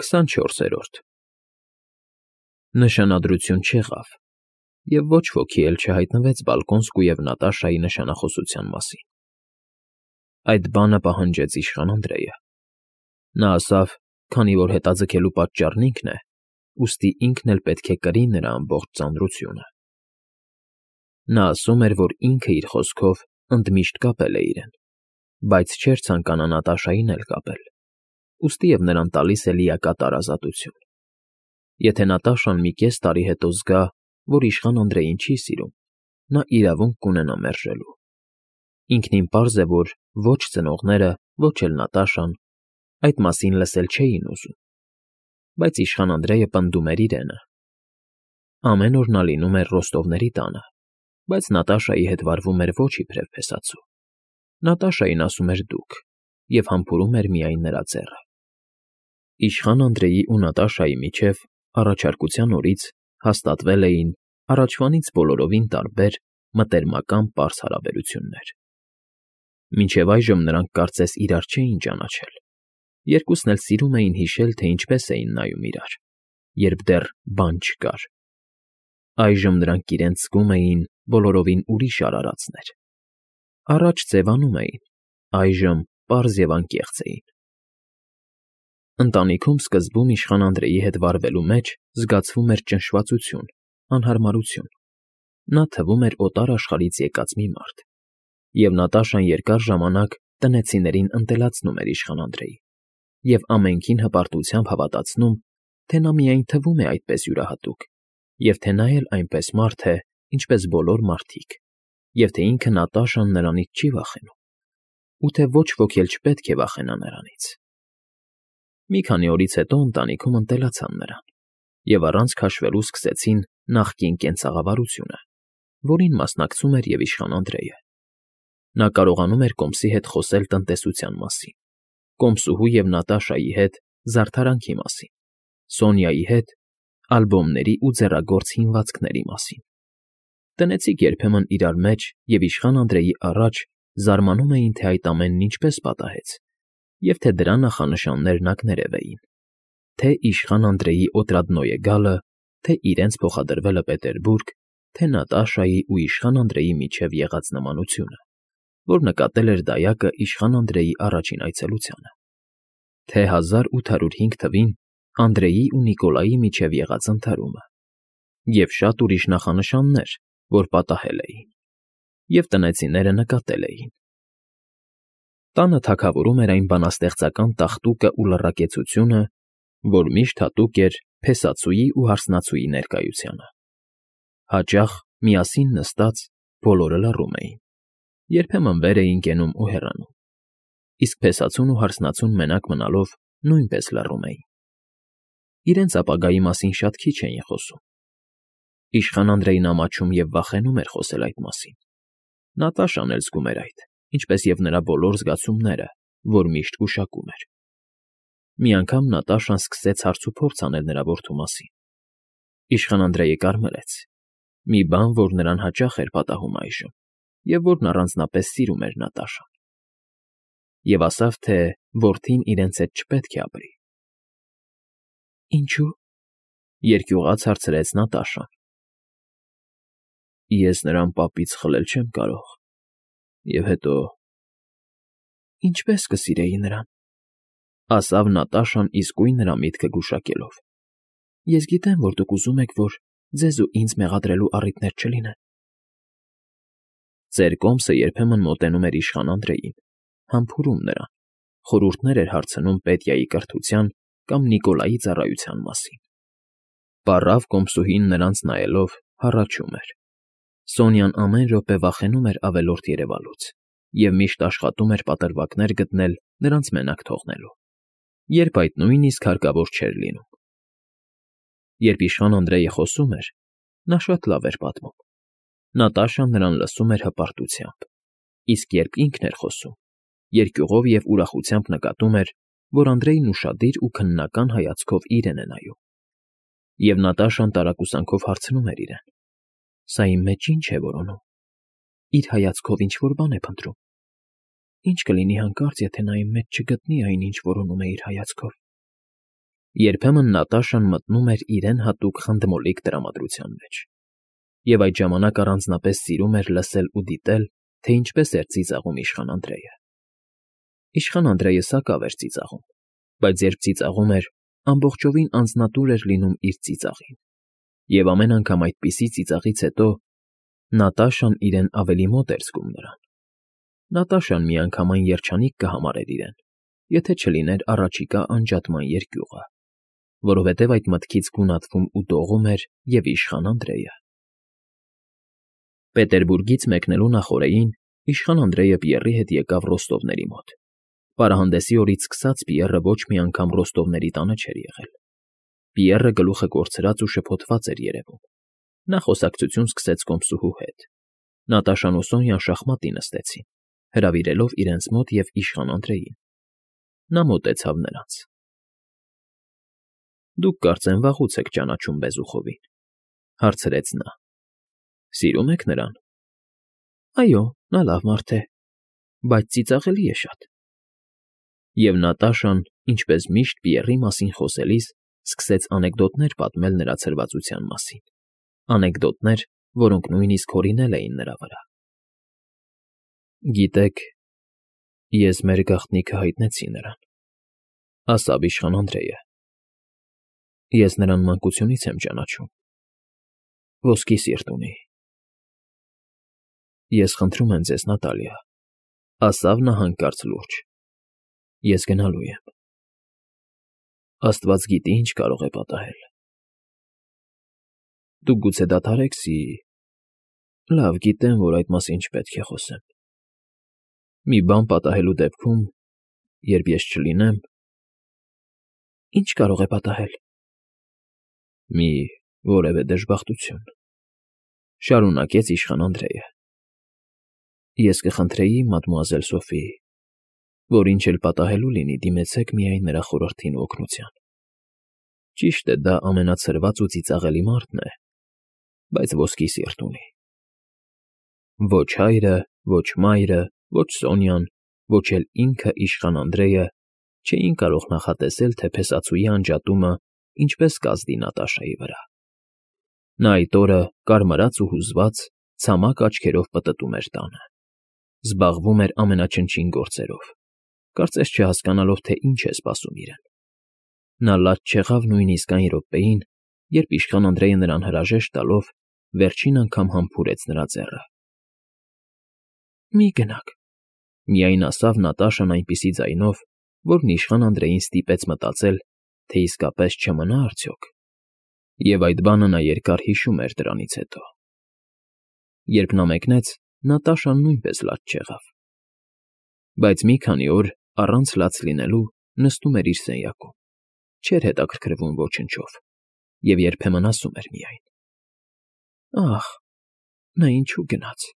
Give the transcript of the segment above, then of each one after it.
24-րդ Նշանադրություն չեղավ, և ոչ ոքի էլ չհայտնվեց Բալկոնսկու և Նատաշայի նշանախոսության մասին։ Այդ բանը պահանջեց իշխան Անդրեյը։ Նա ասավ, քանի որ հետաձգելու պատճառն ինքն է, ուստի ինքն էլ պետք է կրի նրա ամբողջ ծանրությունը։ Նա ասում էր, որ ինքը իր խոսքով ընդմիշտ կապել է իրեն, բայց չէր ցանկանա Նատաշային էլ կապել, ուստի և նրան տալիս է լիակատար ազատություն։ Եթե Նատաշան մի կես տարի հետո զգա, որ իշխան Անդրեյին չի սիրում, նա իրավունք կունենա մերժելու։ Ինքնին պարզ է, որ ոչ ծնողները, ոչ էլ Նատաշան այդ մասին լսել չէին ուզում, բայց իշխան Անդրեյը պնդում էր իրենը։ Ամեն օր նա լինում էր Ռոստովների տանը, բայց Նատաշայի հետ վարվում էր ոչ իբրև փեսացու։ Նատաշային ասում էր դուք և համբուրում էր միայն նրա ձեռը։ Իշխան Անդրեյի ու Նատաշայի միջև առաջարկության օրից հաստատվել էին առաջվանից բոլորովին տարբեր մտերմական պարզ հարաբերություններ։ Մինչև այժմ նրանք կարծես իրար չէին ճանաչել, երկուսն էլ սիրում էին հիշել, թե ինչպես էին նայում իրար, երբ դեռ բան չկար։ Այժմ նրանք իրենց զգում էին բոլորովին ուրիշ արարածներ։ Առաջ ձևանում էին, այժմ պարզ և անկեղծ էին։ Ընտանիքում սկզբում իշխան Անդրեյի հետ վարվելու մեջ զգացվում էր ճնշվածություն, անհարմարություն։ Նա թվում էր օտար աշխարհից եկած մի մարդ, և Նատաշան երկար ժամանակ տնեցիներին ընտելացնում էր իշխան Անդրեյին և ամենքին հպարտությամբ հավատացնում, թե նա միայն թվում է այդպես յուրահատուկ, և թե նա էլ այնպես մարդ է, ինչպես բոլոր մարդիկ, և թե ինքը Նատաշան նրանից չի վախենում, ու թե ոչ ոք էլ չպետք է վախենա նրանից։ Մի քանի օրից հետո ընտանիքում ընտելացան նրան և առանց քաշվելու սկսեցին նախկին կենցաղավարությունը, որին մասնակցում էր և իշխան Անդրեյը։ Նա կարողանում էր կոմսի հետ խոսել տնտեսության մասին, կոմսուհու և Նատաշայի հետ զարդարանքի մասին, Սոնյայի հետ ալբոմների ու ձեռագործ հինվածքների մասին։ Տնեցիք երբեմն իրար մեջ և իշխան Անդրեյի առաջ զարմանում էին, թե այդ ամենն ինչպես պատահեց, և թե դրա նախանշաններն ակներև էին, թե իշխան Անդրեյի Օտրադնոյը գալը, թե իրենց փոխադրվելը Պետերբուրգ, թե Նատաշայի ու իշխան Անդրեյի միջև եղած նմանությունը, որ նկատել էր դայակը իշխան Անդրեյի առաջին այցելությանը, թե 1805 թվին Անդրեյի ու Նիկոլայի միջև եղած ընդհարումը, և շատ ուրիշ նախանշաններ, որ պատահել էին, և տնեցիները նկատել էին։ Տանը թագավորում էր այն բանաստեղծական տաղտուկը ու լռակեցությունը, որ միշտ հատուկ էր փեսացուի ու հարսնացուի ներկայությանը։ Հաճախ, միասին նստած, բոլորը լռում էին, երբեմն վեր էին կենում ու հեռանում, իսկ փեսացուն ու հարսնացուն մենակ մնալով նույնպես լռում էին։ Իրենց ապագայի մասին շատ քիչ էին խոսում։ Իշխան Անդրեյն ամաչում և վախենում էր խոսել այդ մասին։ Նատաշան էլ զգում էր այդ, ինչպես և նրա բոլոր զգացումները, որ միշտ գուշակում էր։ Մի անգամ Նատաշան սկսեց հարցուփորձ անել նրա որդու մասին։ Իշխան Անդրեյը կարմրեց, մի բան, որ նրան հաճախ էր պատահում այժմ, և որն առանձնապես սիրում էր Նատաշան, և ասավ, թե որդին իրենց հետ չպետք է ապրի։ Ինչո՞ւ,֊ երկյուղած հարցրեց Նատաշան։ Ես նրան պապից խլել չեմ կարող, և հետո… Ինչպե՞ս կսիրեի նրան,֊ ասավ Նատաշան իսկույն նրա միտքը գուշակելով։ Ես գիտեմ, որ դուք ուզում եք, որ ձեզ ու ինձ մեղադրելու առիթներ չլինեն։ Ծեր կոմսը երբեմն մոտենում էր իշխան Անդրեյին, համբուրում նրան, խորհուրդներ էր հարցնում Պետյայի կրթության կամ Նիկոլայի ծառայության մասին։ Պառավ կոմսուհին նրանց նայելով հառաչում էր։ Սոնյան ամեն րոպե վախենում էր ավելորդ երևալուց և միշտ աշխատում էր պատրվակներ գտնել նրանց մենակ թողնելու, երբ այդ նույնիսկ հարկավոր չէր լինում։ Երբ իշխան Անդրեյը խոսում էր, նա շատ լավ էր պատմում։ Նատաշան նրան լսում էր հպարտությամբ, իսկ երբ ինքն էր խոսում, երկյուղով և ուրախությամբ նկատում էր, որ Անդրեյն ուշադիր ու քննական հայացքով իրեն է նայում։ Եվ Նատաշան տարակուսանքով հարցնում էր իրեն. Սա իմ մեջ ի՞նչ է որոնում։ Իր հայացքով ինչ֊որ բան է փնտրում։ Ի՞նչ կլինի հանկարծ, եթե նա իմ մեջ չգտնի այն, ինչ որոնում է իր հայացքով։ Երբեմն Նատաշան մտնում էր իրեն հատուկ խանդմոլիկ տրամադրության մեջ, և այդ ժամանակ առանձնապես սիրում էր լսել ու դիտել, թե ինչպես էր ծիծաղում իշխան Անդրեյը։ Իշխան Անդրեյը սակավ էր ծիծաղում, բայց երբ ծիծաղում էր, ամբողջովին անձնատուր էր լինում իր ծիծաղին, և ամեն անգամ այդպիսի ծիծաղից հետո Նատաշան իրեն ավելի մոտ էր զգում նրան։ Նատաշան միանգամայն երջանիկ կհամարեր իրեն, եթե չլիներ առաջիկա անջատման երկյուղը, որովհետև այդ մտքից գունատվում ու դողում էր և իշխան Անդրեյը։ Պետերբուրգից մեկնելու նախօրեին իշխան Անդրեյը Պիեռի հետ եկավ Ռոստովների մոտ։ Պարահանդեսի օրից սկսած Պիեռը ոչ մի անգամ Ռոստովների տանը չէր եղել։ Պիեռը գլուխը կորցրած ու շփոթված էր երևում։ Նա խոսակցություն սկսեց կոմսուհու հետ։ Նատաշան ու Սոնյան շախմատի նստեցին, հրավիրելով իրենց մոտ և իշխան Անդրեյին։ Նա մոտեցավ նրանց։ Դուք կարծեմ վաղուց եք ճանաչում Բեզուխովին, հարցրեց նա։ Սիրում եք նրան։ Այո, նա լավ մարդ է, բայց ծիծաղելի է շատ։ Եվ Նատաշան, ինչպես միշտ Պիեռի մասին խոսելիս, սկսեց անեկդոտներ պատմել նրա ցրվածության մասին, անեկդոտներ, որոնք նույնիսկ հորինել էին նրա վրա։ Գիտեք, ես մեր գաղտնիքը հայտնեցի նրան, ասաց իշխան Անդրեյը։ Ես նրան մանկությունից եմ ճանաչում։ Ոսկի սիրտ ունի։ Ես խնդրում եմ ձեզ, Նատալիա, ասաց նա հանկարծ լուրջ։ Ես գնալու եմ։ Աստված գիտի, ինչ կարող է պատահել։ Դուք գուցե դադարեք Լավ, գիտեմ, որ այդ մասին չպետք է խոսեմ։ Մի բան պատահելու դեպքում, երբ ես չլինեմ… Ինչ կարող է պատահել։ Մի որևէ դժբախտություն, շարունակեց իշխան Անդրեյը։ Ես կխնդրեի, մադմուազել Սոֆի, որ ինչ էլ պատահելու լինի, դիմեցեք միայն նրա խորհրդին ու օգնության։ Ճիշտ է, դա ամենացրված ու ծիծաղելի մարդն է, բայց ոսկի սիրտ ունի։ Ոչ հայրը, ոչ մայրը, ոչ Սոնյան, ոչ էլ ինքը իշխան Անդրեյը չէին կարող նախատեսել, թե փեսացուի անջատումը ինչպես կազդի Նատաշայի վրա։ Նա այդ օրը, կարմրած ու հուզված, ցամաք աչքերով պտտում էր տանը, զբաղվում էր ամենաչնչին գործերով, կարծես չհասկանալով, թե ինչ է սպասում իրեն։ Նա լաց չեղավ նույնիսկ այն րոպեին, երբ իշխան Անդրեյը նրան հրաժեշտ տալով վերջին անգամ համբուրեց նրա ձեռը։ Մի գնաք, միայն ասավ Նատաշան այնպիսի ձայնով, որն իշխան Անդրեյին ստիպեց մտածել, թե իսկապես չմնա արդյոք։ Եվ այդ բանը նա երկար հիշում էր դրանից հետո։ Երբ նա մեկնեց, Նատաշան նույնպես լաց չեղավ։ Բայց մի քանի օր, առանց լաց լինելու, նստում էր իր սենյակում, չէր հետաքրքրվում ոչնչով, և երբեմն ասում էր միայն. Ախ, նա ինչու գնաց։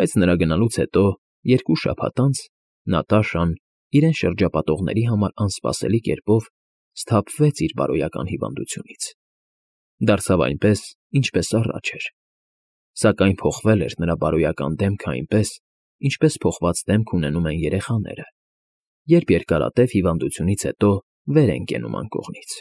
Բայց նրա գնալուց հետո, 2 շաբաթ անց, Նատաշան, իրեն շրջապատողների համար անսպասելի կերպով, սթափվեց իր բարոյական հիվանդությունից։ Դարձավ այնպես, ինչպես առաջ էր։ Սակայն փոխվել էր նրա բարոյական դեմքը այնպես, ինչպես փոխված դեմք ունենում են երեխաները, երբ երկարատև հիվանդությունից հետո վեր են կենում անկողնից։